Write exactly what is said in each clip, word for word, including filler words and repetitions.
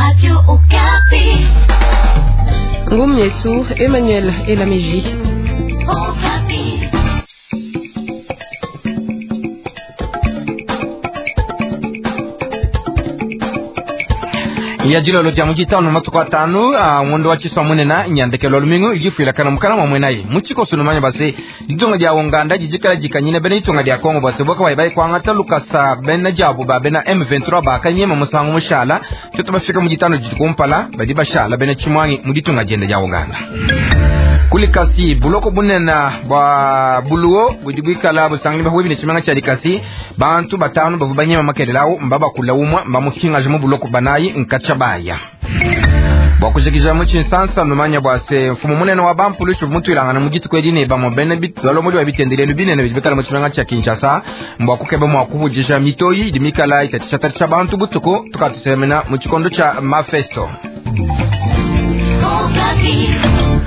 Radio Okapi. Ngumu yetu Emmanuel Elameji. Okapi. Ya dilolo dia mujitanu matuku atanu a ngondo wa tshisua munena nyandekelo lumingu idifuilakana mukana mwa mwenayi mutshikoso numanya base ditunga dia unganda didikala dikanyina bena ditunga dia kongo base boka bayi bayikwangata lukasa bena diabu ba bena M vingt-trois bakanyema musangu mushala tutu bafika mujitanu didi kumpala badi bashala bena tshimwangi mu ditunga dienda dia unganda. Kulikasi buloko bunena bwa buluo budi bwikala busangani bahwe bine tshimanga tshia likasi bantu batanu bavu banyema makelelawo mbabakula umwa mbamuhingaje mu buloko banayi nkacha baya bwakujikija mu tshinsansa numanya bwase mfumu munene wa bampulushu mutwilangana mu dituku edi ne bamwe bene balomodi ba bitendelelu binene bidi bikala mu tshimanga tshia Kinshasa mbwakukeba mwa kuhujisha mitoyi idi mikala itatsha bantu butuku tukatusemena mu tshikondo tshia mafesto.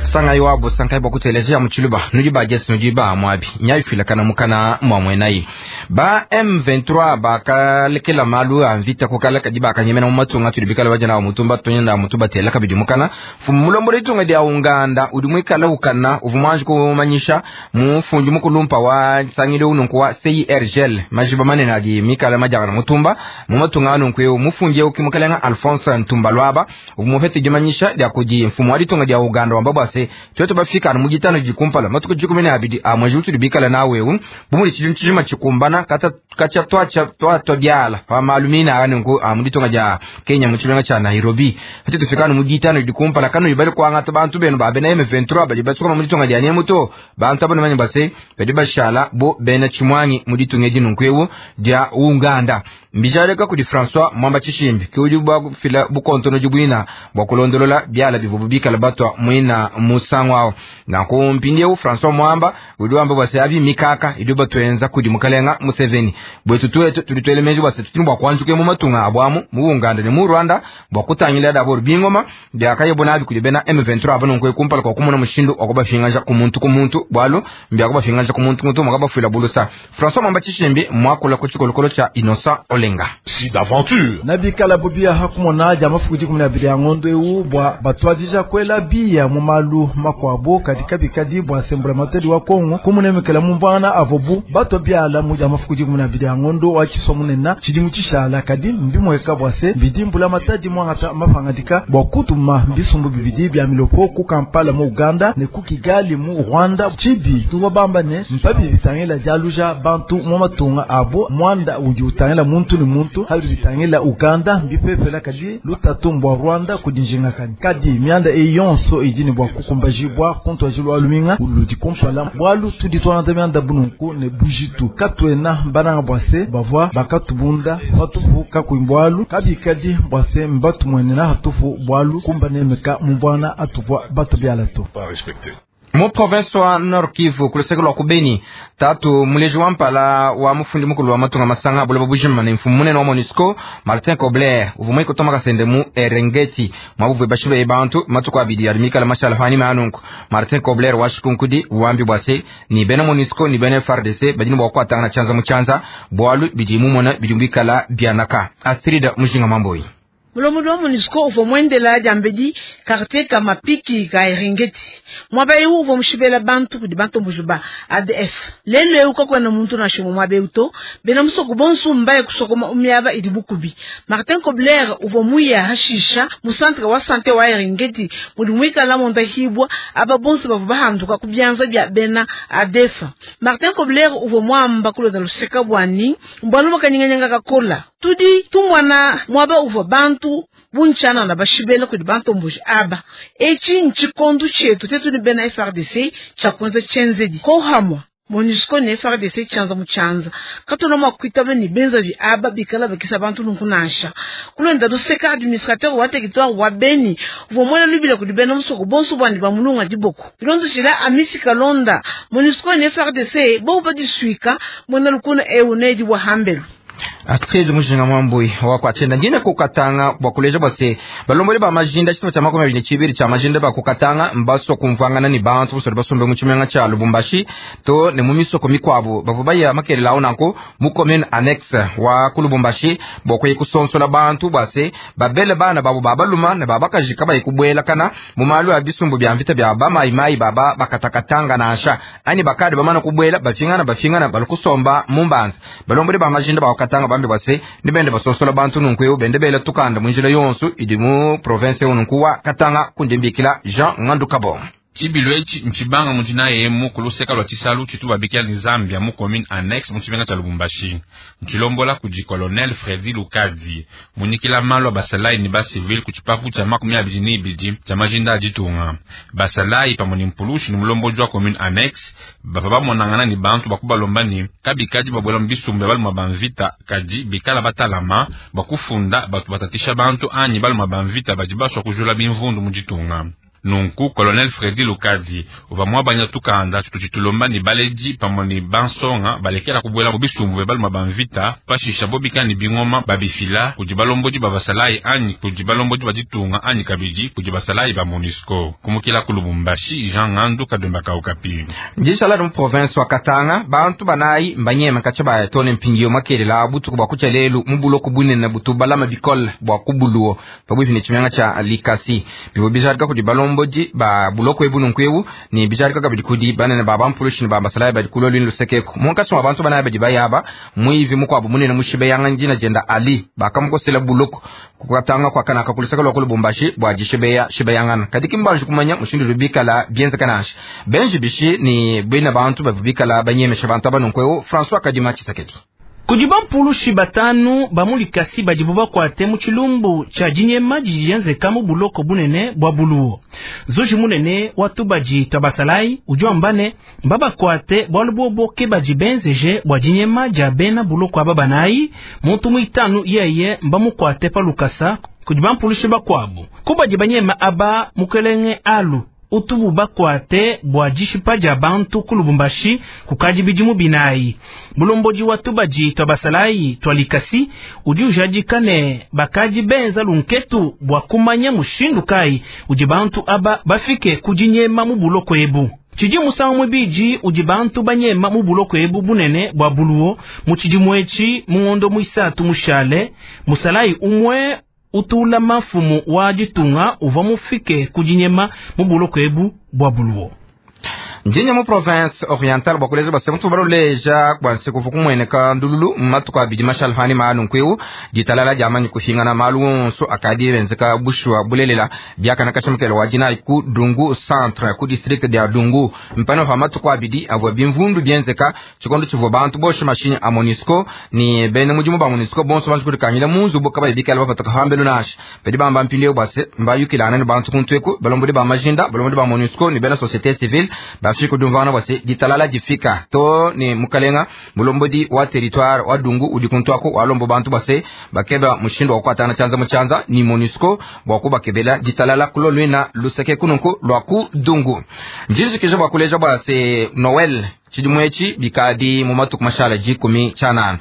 Sanga iwabo sankai bwakutelezea muchiluba nudi ba jesi nudi ba mwabi nyaifila kana mukana mwa mwenayi ba M vingt-trois bakalekela malu a mvita kukala kadi bakanyemena mu matunga tudi bikala bajana mutumba tunyenda mutuba tela kabidi mukana fumu mulombo litunga dia unganda udi mwikala ukana uvumwanji kumanyisha mufundi mukulumpa wa sangile ununku wa C I R G L majiba manene adi mikala majana mutumba mu matunga anunku eu mufundi eu kimukalenga Alphonse Ntumba Lwaba uvumufete dimanyisha dia kudi mfumu wa litunga dia Uganda wamba bwase twetu bafika mu gitano jikumpala matuku jikumi na abidi a mwezi utuli bikala nawe u bumuli chijum chijima chikumbana kata kacha twacha twatwa byala pa malumina ane nku a muditonga ja Kenya mu chilenga cha Nairobi ati tufika mu gitano jikumpala kanu ibali kwanga bantu benu ba bena M vingt-trois bali batsuka mu ditonga ja nyemuto bantu abone manye base bedi bashala bo bena chimwangi mu ditunga jinunku ewu ja Uganda mbijaleka kudi François Mwamba Chishimbi kiudi bwa fila bukontono jibwina bwa kulondolola byala bivubu bikala batwa mwina musangwao na kumpindie François Mwamba udi wamba bwase abi mikaka idi batwenza kudi mukalenga Museveni bwetu twetu tulitwelemeji bwase tutini bwa kwanjuke mu matunga abwamu mu Uganda ne mu Rwanda bwa kutangila dabo bingoma byakayebona abi kudi bena M vingt-trois abano nkwe kumpala kwa kumona mushindu wakubafingaja ku muntu ku muntu bwalo mbyakubafingaja ku muntu muntu mwakabafwila bulusa François Mwamba Chishimbi mwakula ku chikolokolo cha Innocent Olenga si d'aventure nabikala bobia hakumona ja mafuku dikumi na abili ya ngondo ewu bwa batwadija kwela biya mu malu makwabo katika bikadi bwa sembula matedi wa Kongo kumunemekela mu mbwana avobu bato byala mu ja mafuku dikumi na abili ya ngondo wa tshisua munena tshidimu tshishala kadi mbimweka bwa se bidimbula matadi mwangata mapangadika bwa kutuma bisumbu bibidi bya milopo ku Kampala mu Uganda ne ku Kigali mu Rwanda tshibi tuwa bamba ne mpabi bitangela jaluja bantu mu matunga abo mwanda udi utangela muntu ni muntu hali bitangela Uganda mbipepela kadi lutatu mbwa Rwanda kudinjinga kani kadi mianda eyonso idini bwa kukumbajibwa kontwa jilwa luminga uludi kumpala bwalu tudi twanata mianda bununku ne bujitu katwena bananga bwase bavwa bakatubunda batufu kakuimbwalu kabikadi bwase mbatu mwenena hatufu bwalu kumba nemeka mumbwana atuvwa batu byalato pas respecté. Mu province wa Nord Kivu kuluseke lwa kubeni tatu muleji wa mpala wa mufundi mukulu wa matunga masanga buloba bujima ne mfumu munene wa MONUSCO Martin Kobler uvumwe kutoma kasende mu Erengeti mwabuvwe bashibe bantu matuku abidi alimikala mashala fani manunku Martin Kobler washikunkudi wambi bwase ni bena MONUSCO ni bena F A R D C badini bwa kwatanga chanza muchanza bwalu bidi mumona bidumbikala byanaka Astrida Mujinga Mamboi Mulomo wa MONUSCO uvua mwendela diambedi quartier ka mapiki ka Erengeti mwaba eu uvua mushibela bantu kudi bantu mbujuba A D F lelo eu kakwena muntu na shimo mwaba eu to bena musoko bonsu mbaye kusokoma umiaba idi bukubi Martin Kobler uvua muya hashisha mu centre wa santé wa Erengeti mudi mwikala monda hibwa aba bonsu bavua bahanduka ku byanza bya bena A D F Martin Kobler uvua mwamba kulonda luseka bwani mbwalu bakanyinganyanga kakola tudi tumwana mwaba uvua bantu bunchana na bashibela kudi bantu mbuji aba echi nchikondu chetu tetu ni bena F R D C chakunza chenzedi kohamwa MONUSCO ne F R D C chanza muchanza katona mwakwitaba ni benza vi aba bikala bakisa bantu nunkunasha kulenda luseka administrateur wa territoire wa Beni uvua mwana lubila kudi bena musoko bonso bwandi bamulunga diboko bilondo shila amisi kalonda MONUSCO ne F R D C bo badisuika mwana lukuna eunedi wa hambelu. Astrid Mujinga Mwambui wa kwachenda ndine kukatanga bwa kuleja bwase balombole ba majinda chito cha makumi abiri chibiri cha majinda ba kukatanga mbaso kumvangana ni bantu busore basombe mu chimenga cha Lubumbashi to ne mu misoko mikwabo bavuba ya makelela onako mu commune annexe wa ku Lubumbashi bokwe kusonsola bantu bwase babele bana babo babaluma ne babakajika bayikubwela kana mu malu ya bisumbu bya mvita bya ba mai mai baba bakatakatanga nasha ani bakadi bamana kubwela bafingana bafingana balukusomba mu mbanza balombole ba majinda ba kukatanga bambi bwase nibende basosola bantu nunku bende bela tukanda munjila yonsu idi mu province ununku wa Katanga kundimbikila Jean Ngandu Kabon. Tshibilu etshi ntshibanga mundina yemu kuluseka lwa tshisalu tshitu babikila ni Zambia mu commune annexe mu tshimenga tshia Lubumbashi. Ntshilombola kudi colonel Fredi Lukadi munyikila malu a basalayi ne ba civil ku tshipapu tshia makumi abidi ne ibidi tshia majinda a ditunga. Basalayi pamue ne mpulushi ne mulombodi wa commune annexe bavua bamonangana ne bantu bakubalomba ne kabikadi babuela mu bisumbu bia baluma ba mvita kadi bikala batalama bakufunda batu batatisha bantu anyi baluma ba mvita badi basua kujula bimvundu mu ditunga. Nunku colonel Fredi Lukadi uva mwabanya tukanda tutu ni baleji pamue ni bansonga balekela kubuela mu bisumbu bia baluma ba mvita pashisha bobika ni bingoma babifila kudi balombodi ba basalayi anyi kudi balombodi ba ditunga anyi kabidi kudi basalayi ba MONUSCO. Kumukila ku Lubumbashi Jean Ngandu Kadumba Kaukapi. Njishala mu province wa Katanga bantu banayi mbanyema kacha ba tone mpingio makelela butuku bwa kucha lelu mu buloko bunene butu balama bikole bwa kubuluo pabwipi ne chimyanga cha Likasi bibo bijarika kudi balombo ba buloko ebu nunku ni bijarika kabidi kudi banene ba bampulushi ni ba basalayi badi kulo lwini lusekeko munkatshi mwa bantu banayi badi bayaba mwivi mukwabo munene mushibe yanga njina jenda Ali bakamukosela buloko kukatanga kwa kanaka kulusaka lwa ku Lubumbashi bwa jishibeya shibeyangana kadi kimbanji kumanya mushindu lubikala bienzeka benji bishi ni bina bantu bavubikala banyemesha bantu aba nunku François Kadima Tshisekedi. Kudi bampulushi batanu bamulikasi badibu bakwate mu tshilumbu tshia dinyema didi dienzeka mu buloko bunene bwa buluwo. Zuji munene watu badi tabasalayi udi wamba ne mbabakwate bualu bobo ke badi benzeje bua dinyema dia bena buloko aba banayi muntu muitanu yeye mbamukwate pa lukasa kudi bampulushi bakuabu kubadi banyema aba mukelenge alu utubu bakwate bua dishipa dia bantu ku Lubumbashi kukadi bidimu binayi. Mulombodi wa tubadi twa basalayi twa Likasi udi ujadika ne bakadi benza lunketu bua kumanya mushindu kayi udi bantu aba bafike kudinyema mu buloko ebu. Tshidi musangu mubidi udi bantu banyema mu buloko ebu bunene bua buluwo mu tshidimu etshi mu ngondo muisatu mushale musalayi umwe utula mafumu wa ditunga uva mufike kudinyema mu buloko ebu bwa buluwo. Njinye mu province orientale bwa kuleja base mutu baloleja bwa nsiku kumweneka ndululu matuku abidi mashalfani malu nkweu ditalala diamanyi kufingana malu onso akadi benzeka bushwa bulelela biakana kashimukelo wa dina ku Dungu centre ku district dia Dungu mpano pa matuku abidi avwa bimvundu bienzeka chikondo chivwa bantu boshe mashini a MONUSCO ni bene mudimu ba MONUSCO bonso bantu kudikanyila munzu boka bayibikala bapataka hambelu nasha bedi bamba mpilio base mbayukilana ni bantu kuntweku balombodi ba majinda balombodi ba MONUSCO ni bena société civile bafika dumvana bwase ditalala difika to ni mukalenga mulombodi wa territoire wa Dungu udi kuntwako walombo bantu bwase bakeba mushindo wa kwatana chanza muchanza ni MONUSCO bwa kubakebela ditalala kulolwina luseke kununku lwa ku Dungu njizikije bwa kuleja bwase Noel tshidimwechi bikadi mu matuku mashala jikumi chanana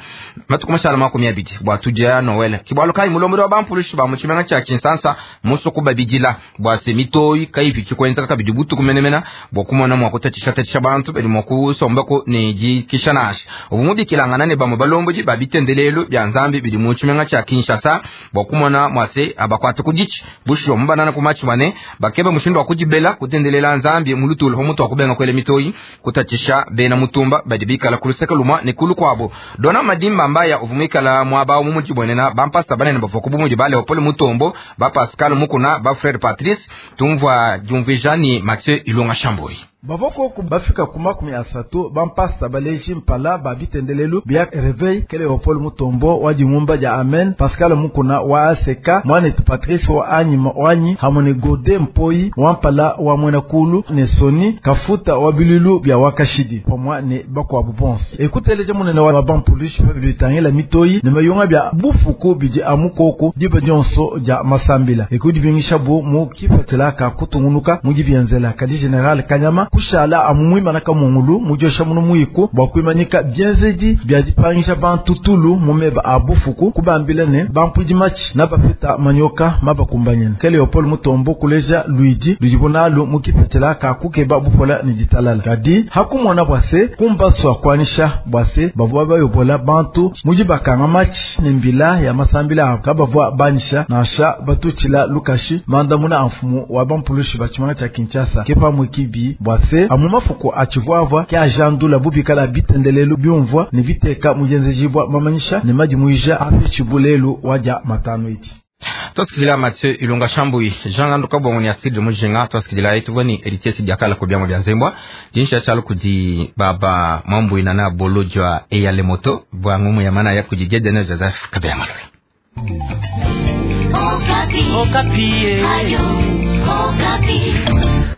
matuku mashala makumi abidi bwa tuja Noel kibwalo kai mulombodi wa bampulushi ba muchimenga cha Kinshasa muso kubabidila bwa se mitoyi kaipi chikwenza kabidi butuku menemena bwa kumona mwa kutatisha tatisha bantu bedi mwa kusombako ne jikishanasha ubumubikilangana ne bamwe balomboji babitendelelo bya nzambi bidi mu chimenga cha Kinshasa bwa kumona mwase abakwata kudichi busho mbanana kumachi bane bakebe mushindo wa kujibela kutendelela nzambi mulutulo homutu akubenga kwele mitoyi kutatisha bena mutumba badibikala kuluseka lumwa ne kulu kwabo dona madimba mbaya uvumikala mwaba mu mujibonena bampasta banene bava kubumuji ba Leopold Mutombo ba Pascal Mukuna ba Frère Patrice tumvwa jumvija ni Mathieu Ilunga Shamboi. Bavoko bafika ku makumi asatu bampasta baleji mpala babitendelelu bia Reveil kele Leopold Mutombo wa dimumba dia Amen Pascal Mukuna wa Aseka mwanetu Patrice wa anyi wanyi hamone Gode Mpoi wa mpala wa Mwenakulu ne Soni Kafuta wa bilulu bia wakashidi pamwa ne bakwabu bonso ekuteleje munene wa bampulishi pa bitangela mitoyi ne mayonga bia bufuku bidi amukoko diba dionso dia masambila ekudi bingisha bu mu kipatela ka kutungunuka mu dibienzela kadi General Kanyama kushala amu mwimana kamungulu mujosha muno muiku bwa kuimanyika bienzedi bya dipangisha bantu tulu mumeba a bufuku kubambila ne bampudi machi na bapeta manyoka mabakumbanyene ke Leopold Mutombo kuleja luidi ludibonalu mukipetela ka kukeba bupola ni ditalala kadi hakumona bwase kumbaswa kwanisha bwase bavua bayobola bantu muji bakanga machi ne mbila ya masambila kabavua banisha nasha batutshila lukashi mandamuna a mfumu wa bampulushi bachimanga cha Kinshasa kepa mwikibi bwase amu mafuku achivuavua ke ajandula bubikala bitendelelu byumvwa ne biteka mujenzejibwa mamanyisha ne majimuija ape chibulelu waja matano iti twasikilila Mathieu Ilunga Shambui Jean Nganduka bongo ni Astrid Mujinga twasikilila ituvoni Héritier Sidiakala ko biamo bya nzembwa jinsha chalo kudi baba mambu inana bolojwa eyale moto bwa ngumu ya mana ya kujijede na Joseph Kabila Malole. Okapi. Okapi. Ayo, Okapi.